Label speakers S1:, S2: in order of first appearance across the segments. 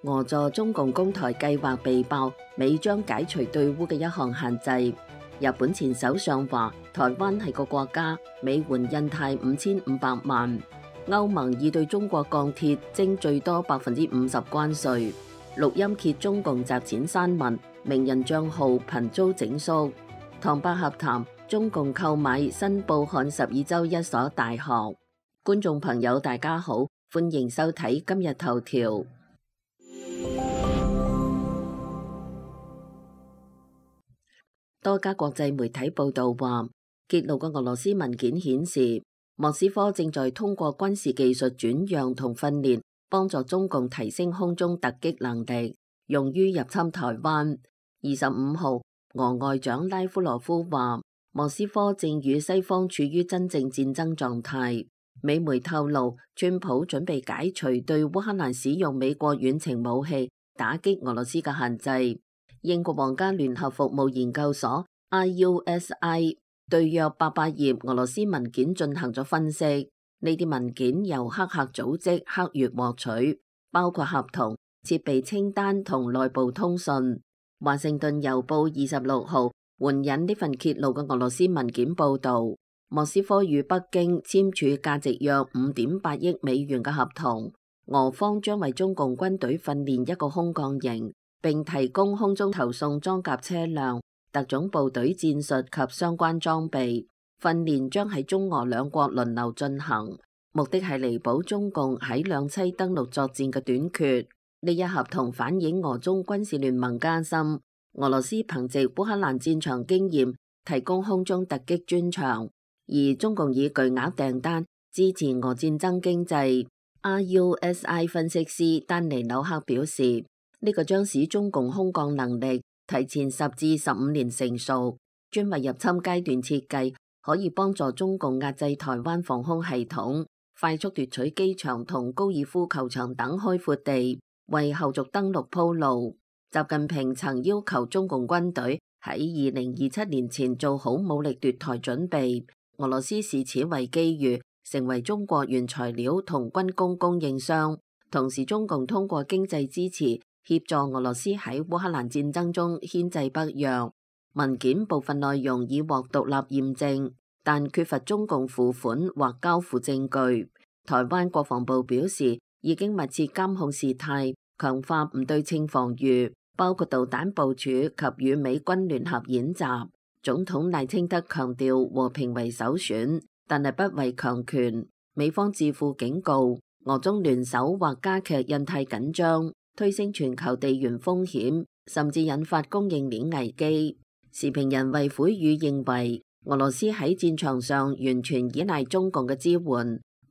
S1: 俄助中共攻台計劃被爆，美將解除對烏嘅一項限制。日本前首相話台灣係個國家，美援印太5500萬。歐盟已對中國鋼鐵徵最多50%關稅。錄音揭中共集錢刪文，名人賬號頻遭整肅。唐伯合談，中共購買新報漢12州一所大學。觀眾朋友大家好，歡迎收睇今日頭條。多家國際媒體報道話，揭露嘅俄羅斯文件顯示，莫斯科正在通過軍事技術轉讓同訓練，幫助中共提升空中突擊能力，用於入侵台灣。25號，俄外長拉夫羅夫話，莫斯科正與西方處於真正戰爭狀態。美媒透露，川普準備解除對烏克蘭使用美國遠程武器，打擊俄羅斯嘅限制。英國皇家聯合服務研究所 IUSI 對約800頁俄羅斯文件進行咗分析。呢啲文件由黑客組織黑月獲取，包括合同、設備清單同內部通訊。華盛頓郵報26號援引呢份揭露嘅俄羅斯文件報導，莫斯科與北京簽署價值約5.8億美元嘅合同，俄方將為中共軍隊訓練一個空降營，並提供空中投送裝甲車輛、特種部隊戰術及相關裝備。訓練將喺中俄兩國輪流進行，目的係彌補中共喺兩棲登陸作戰嘅短缺。呢一合同反映俄中軍事聯盟加深，俄羅斯憑借烏克蘭戰場經驗提供空中突擊專長，而中共以巨額訂單支持俄戰爭經濟。IUSI 分析師丹尼紐克表示，呢個將使中共空降能力提前10至15年成熟，專為入侵階段設計，可以幫助中共壓制台灣防空系統，快速奪取機場同高爾夫球場等開闊地，為後續登陸鋪路。習近平曾要求中共軍隊喺2027年前做好武力奪台準備，俄羅斯視此為機遇，成為中國原材料同軍工供應商。同時，中共通過經濟支持協助俄羅斯喺烏克蘭戰爭中牽制北約。文件部分內容已獲獨立驗證，但缺乏中共付款或交付證據。台灣國防部表示，已經密切監控事態，強化唔對稱防禦，包括導彈部署及與美軍聯合演習。總統賴清德強調和平為首選，但係不為強權。美方智庫警告，俄中聯手或加劇印太緊張，推升全球地緣風險，甚至引發供應鏈危機。時評人衛虎宇認為，俄羅斯喺戰場上完全依賴中共嘅支援。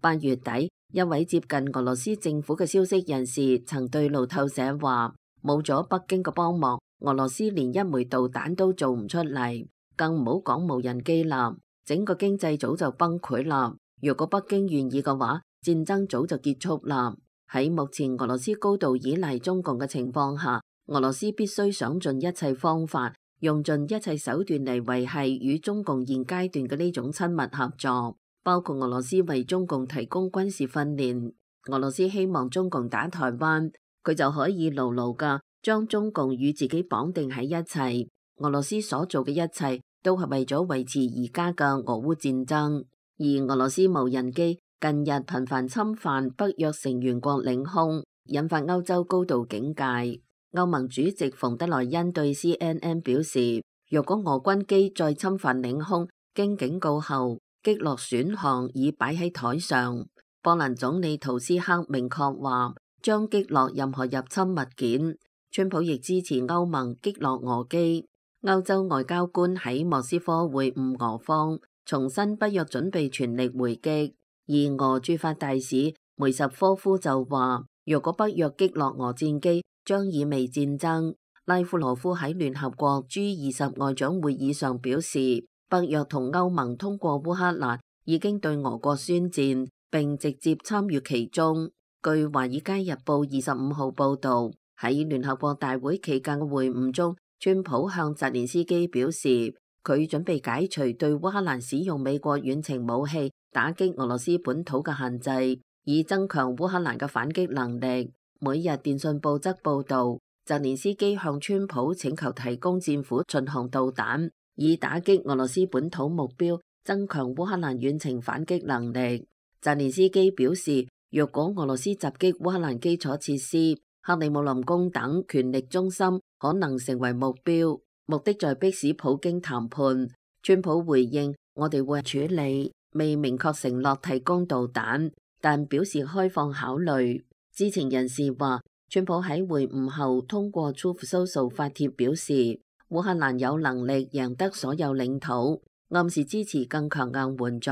S1: 8月底，一位接近俄羅斯政府嘅消息人士曾對路透社話，冇咗北京嘅幫忙，俄羅斯連一枚導彈都做唔出嚟，更唔好講無人機啦，整個經濟早就崩潰啦。如果北京願意嘅話，戰爭早就結束啦。喺目前俄羅斯高度依賴中共嘅情況下，俄羅斯必須想盡一切方法，用盡一切手段嚟維繫與中共現階段嘅呢種親密合作，包括俄羅斯為中共提供軍事訓練。俄羅斯希望中共打台灣，佢就可以牢牢㗎將中共與自己綁定喺一齊。俄羅斯所做嘅一切都係為咗維持而家嘅俄烏戰爭。而俄羅斯無人機近日頻繁侵犯北約成員國領空，引發歐洲高度警戒。歐盟主席馮德萊恩對 CNN 表示，若果俄軍機再侵犯領空，經警告後擊落選項已擺喺台上。波蘭總理圖斯克明確話將擊落任何入侵物件。川普亦支持歐盟擊落俄機。歐洲外交官喺莫斯科會晤俄方，重申北約準備全力回擊。而俄駐法大使梅什科夫就話，若果北約擊落俄戰機，將意味戰爭。拉夫羅夫喺聯合國 G20 外長會議上表示，北約同歐盟通過烏克蘭已經對俄國宣戰，並直接參與其中。據華爾街日報25號報道，喺聯合國大會期間嘅會晤中，川普向澤連斯基表示，佢準備解除對烏克蘭使用美國遠程武器打擊俄羅斯本土嘅限制，以增強烏克蘭嘅反擊能力。每日電訊報則報導，澤連斯基向川普請求提供戰斧巡航導彈，以打擊俄羅斯本土目標，增強烏克蘭遠程反擊能力。澤連斯基表示，若果俄羅斯襲擊烏克蘭基礎設施，克里姆林宮等權力中心可能成為目標，目的在迫使普京談判。川普回應：我哋會處理，未明確承諾提供導彈，但表示開放考慮。知情人士話，川普喺會晤後通過 Truth Social 發帖表示，烏克蘭有能力贏得所有領土，暗示支持更強硬援助。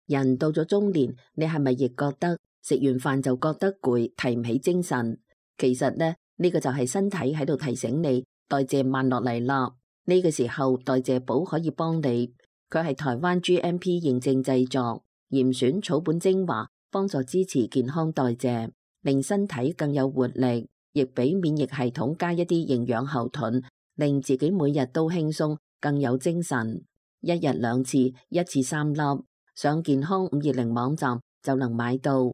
S1: 人到咗中年，你係咪亦覺得食完飯就覺得攰，提唔起精神？其實呢個就係身體喺度提醒你代謝慢落嚟啦。呢個時候代謝寶可以幫你，佢係台灣 GMP 認證製作，嚴選草本精華，幫助支持健康代謝，令身體更有活力，亦俾免疫系統加一啲營養後盾，令自己每日都輕鬆，更有精神。一日2次，一次3粒。上健康520網站就能買到。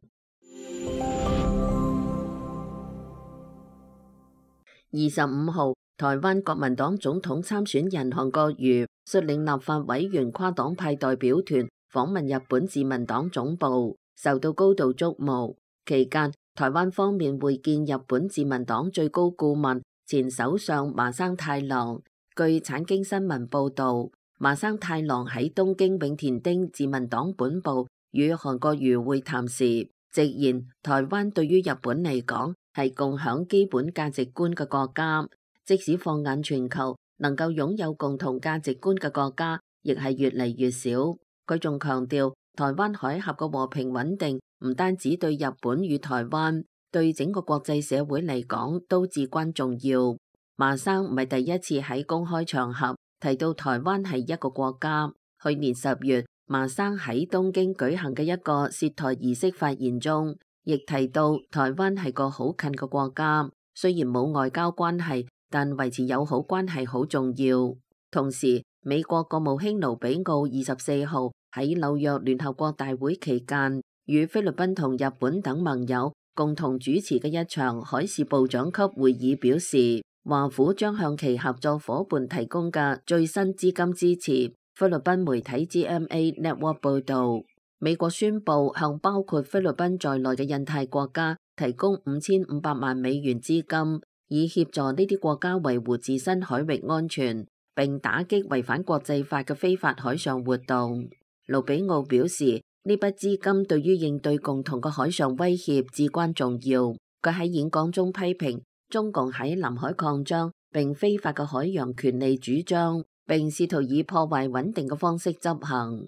S1: 25號，台灣國民黨總統參選人韓國瑜率領立法委員跨黨派代表團訪問日本自民黨總部，受到高度矚目。期間，台灣方面會見日本自民黨最高顧問前首相麻生太郎。據產經新聞報道，麻生太郎喺東京永田町自民黨本部與韓國瑜會談時，直言台灣對於日本嚟講係共享基本價值觀嘅國家，即使放眼全球，能夠擁有共同價值觀嘅國家亦係越嚟越少。佢仲強調，台灣海峽嘅和平穩定唔單止對日本與台灣，對整個國際社會嚟講都至關重要。麻生唔係第一次喺公開場合提到台灣係一個國家。去年10月，麻生喺東京舉行嘅一個涉台儀式發言中，亦提到台灣係個好近嘅國家，雖然冇外交關係，但維持友好關係好重要。同時，美國國務卿盧比奧24號喺紐約聯合國大會期間，與菲律賓同日本等盟友共同主持嘅一場海事部長級會議表示，華府將向其合作夥伴提供嘅最新資金支持。菲律賓媒體 GMA Network 報導，美國宣布向包括菲律賓在內嘅印太國家提供5500萬美元資金，以協助呢啲國家維護自身海域安全，並打擊違反國際法嘅非法海上活動。盧比奧表示，呢筆資金對於應對共同嘅海上威脅至關重要。佢喺演講中批評中共喺南海擴張並非法嘅海洋權利主張，並試圖以破壞穩定嘅方式執行。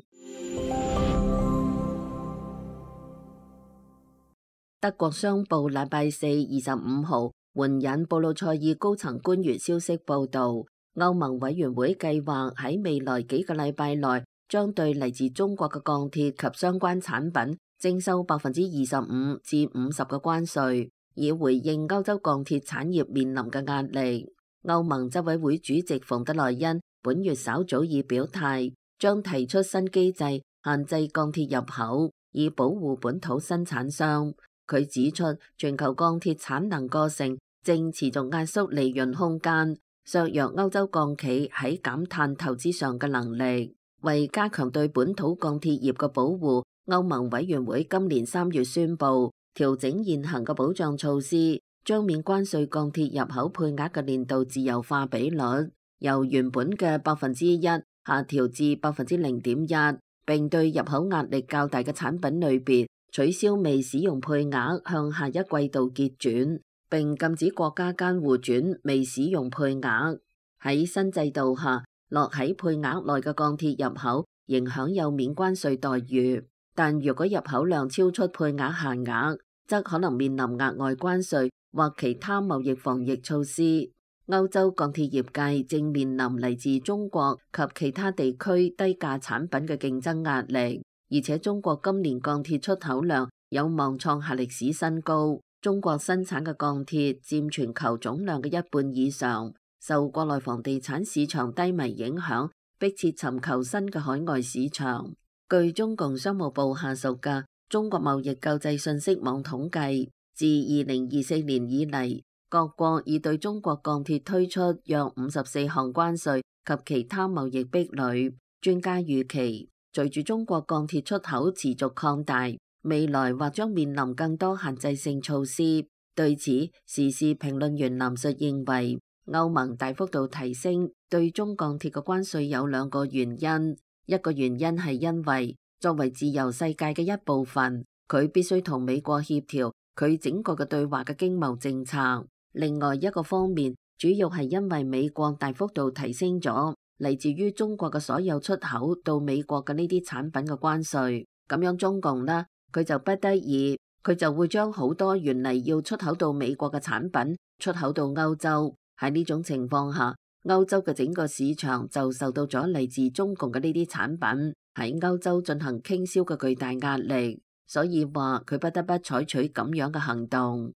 S1: 德國商報禮拜4 25號援引布魯塞爾高層官員消息報導，歐盟委員會計劃喺未來幾個禮拜內將對嚟自中國嘅鋼鐵及相關產品徵收25%至50%嘅關稅，以回應歐洲鋼鐵產業面臨嘅壓力。歐盟執委會主席馮德萊恩本月稍早已表態，將提出新機制限制鋼鐵入口，以保護本土生產商。佢指出，全球鋼鐵產能過剩正持續壓縮利潤空間，削弱歐洲鋼企喺減碳投資上嘅能力。為加強對本土鋼鐵業嘅保護，歐盟委員會今年3月宣布調整現行嘅保障措施，將免關稅鋼鐵入口配額嘅年度自由化比率由原本嘅1%下調至0.1%，並對入口壓力較大嘅產品類別取消未使用配額向下一季度結轉，並禁止國家間互轉未使用配額。喺新制度下，落喺配額內嘅鋼鐵入口仍享有免關稅待遇，但如果入口量超出配額限額，則可能面臨額外關稅或其他貿易防疫措施。歐洲鋼鐵業界正面臨嚟自中國及其他地區低價產品嘅競爭壓力，而且中國今年鋼鐵出口量有望創下歷史新高。中國生產嘅鋼鐵佔全球總量嘅1半以上，受國內房地產市場低迷影響，迫切尋求新嘅海外市場。據中共商務部下屬嘅中國貿易救濟信息網統計，自2024年以嚟，各國已對中國鋼鐵推出約54項關稅及其他貿易壁壘。專家預期，隨住中國鋼鐵出口持續擴大，未來或將面臨更多限制性措施。對此，時事評論員藍述認為，歐盟大幅度提升對中鋼鐵嘅關稅有兩個原因。一個原因係因為作為自由世界嘅一部分，佢必須同美國協調佢整個嘅對華嘅經貿政策。另外一個方面，主要係因為美國大幅度提升咗嚟自於中國嘅所有出口到美國嘅呢啲產品嘅關稅，咁樣中共呢，佢就不得已，佢就會將好多原嚟要出口到美國嘅產品出口到歐洲。喺呢種情況下，歐洲嘅整個市場就受到咗嚟自中共嘅呢啲產品喺歐洲進行傾銷嘅巨大壓力，所以話佢不得不採取咁樣嘅行動。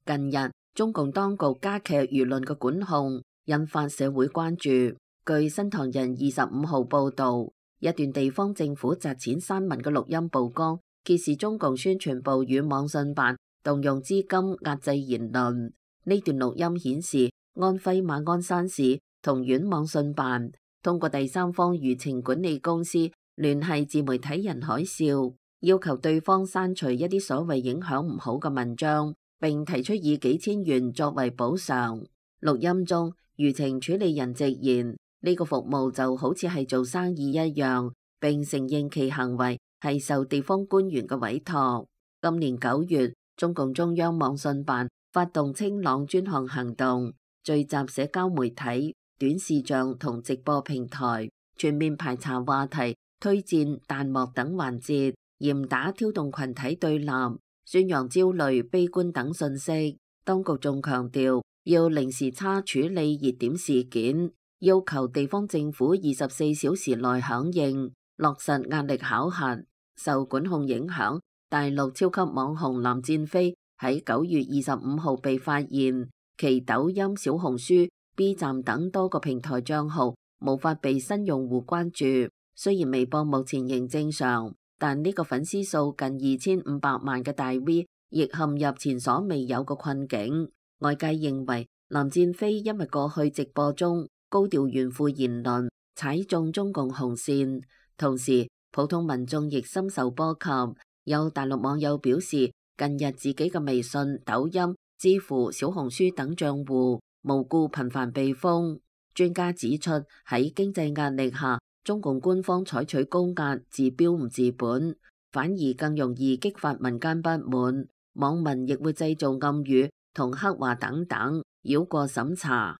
S1: 近日，中共當局加劇輿論嘅管控，引發社會關注。據新唐人25號報導，一段地方政府砸錢刪文嘅錄音曝光，揭示中共宣傳部與網信辦動用資金壓制言論。呢段錄音顯示，安徽馬鞍山市同縣網信辦通過第三方輿情管理公司聯繫自媒體人海嘯，要求對方刪除一啲所謂影響唔好嘅文章，並提出以幾千元作為補償。錄音中，輿情處理人直言呢個服務就好似係做生意一樣，並承認其行為係受地方官員嘅委託。今年9月，中共中央網信辦發動清朗專項行動，聚集社交媒體、短視像同直播平台，全面排查話題、推薦、彈幕等環節，嚴打挑動群體對立、宣揚焦慮、悲觀等信息。當局仲強調要零時差處理熱點事件，要求地方政府24小時內響應，落實壓力考核。受管控影響，大陸超級網紅林戰飛喺9月25號被發現，其抖音、小紅書、B 站等多個平台賬號無法被新用戶關注。雖然微博目前仍正常，但呢個粉絲數近2500萬嘅大 V 亦陷入前所未有嘅困境。外界認為林戰飛因為過去直播中高調炫富言論踩中中共紅線，同時普通民眾亦深受波及。有大陸網友表示，近日自己嘅微信、抖音、知乎、小紅書等賬戶無故頻繁被封。專家指出，喺經濟壓力下，中共官方採取高壓治標唔治本，反而更容易激發民間不滿。網民亦會製造暗語同黑話等等，繞過審查。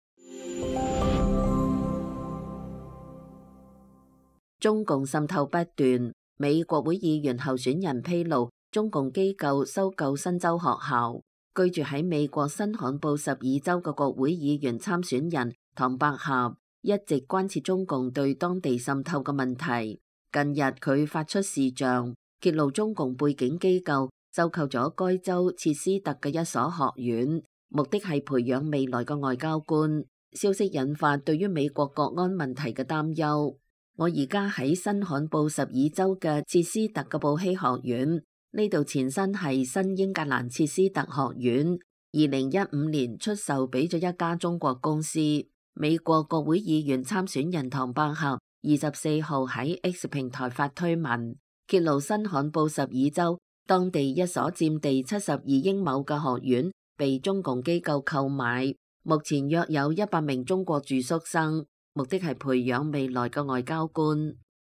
S1: 中共滲透不斷，美國會議員候選人披露中共機構收購新州學校。居住喺美國新罕布什爾州嘅國會議員參選人唐百合一直關切中共對當地滲透嘅問題。近日佢發出視像，揭露中共背景機構收購咗該州切斯特嘅一所學院，目的係培養未來嘅外交官。消息引發對於美國國安問題嘅擔憂。我而家喺新罕布什爾州嘅切斯特嘅布希學院，呢度前身係新英格蘭切斯特學院，2015年出售俾咗一家中國公司。美國國會議員參選人唐百合24號喺 X 平台發推文，揭露新罕布什爾州當地一所佔地72英畝嘅學院被中共機構購買，目前約有100名中國住宿生。目的係培養未來嘅外交官。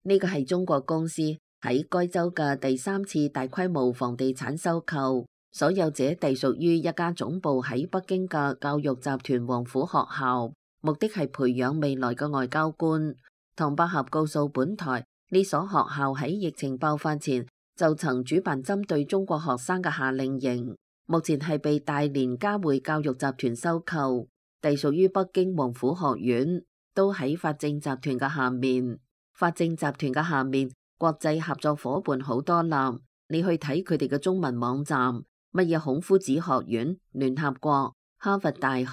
S1: 呢個係中國公司喺該州嘅第3次大規模房地產收購，所有者隸屬於一家總部喺北京嘅教育集團王府學校，目的係培養未來嘅外交官。唐百合告訴本台，呢所學校喺疫情爆發前就曾主辦針對中國學生嘅夏令營，目前係被大連嘉匯教育集團收購，隸屬於北京王府學院。都喺法政集團嘅下面，法政集團嘅下面國際合作伙伴好多啦。你去睇佢哋嘅中文網站，乜嘢孔夫子學院、聯合國、哈佛大學，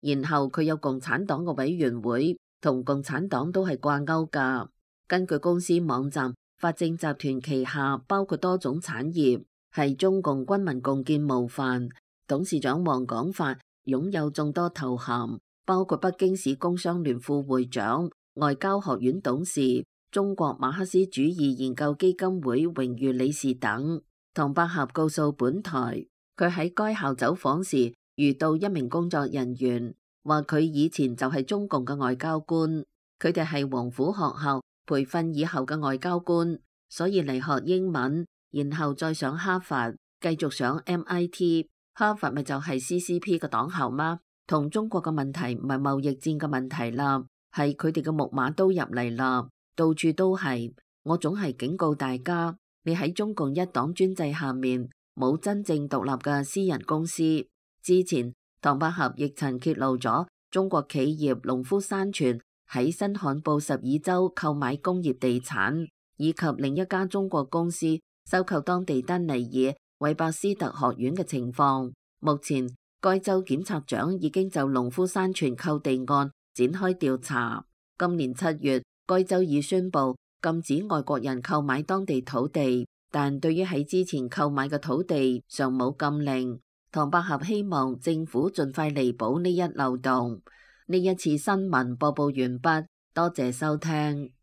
S1: 然後佢有共產黨嘅委員會，同共產黨都係掛鈎噶。根據公司網站，法政集團旗下包括多種產業，係中共軍民共建模範。董事長王廣發擁有眾多頭銜，包括北京市工商聯副會長、外交學院董事、中國馬克思主義研究基金會榮譽理事等。唐百合告訴本台，佢喺該校走訪時遇到一名工作人員，話佢以前就係中共嘅外交官，佢哋係黃埔學校培訓以後嘅外交官，所以嚟學英文，然後再上哈佛，繼續上 MIT。哈佛咪就係 CCP 嘅黨校嗎？同中國嘅問題唔係貿易戰嘅問題啦，係佢哋嘅木馬都入嚟啦，到處都係。我總係警告大家，你喺中共一黨專制下面冇真正獨立嘅私人公司。之前唐百合亦曾揭露咗中國企業農夫山泉喺新罕布什爾州購買工業地產，以及另一家中國公司收購當地丹尼爾韋伯斯特學院嘅情況。目前該州檢察長已經就農夫山泉購地案展開調查。今年7月，該州已宣布禁止外國人購買當地土地，但對於喺之前購買嘅土地尚冇禁令。唐百合希望政府盡快彌補呢一漏洞。呢一次新聞播報完畢，多謝收聽。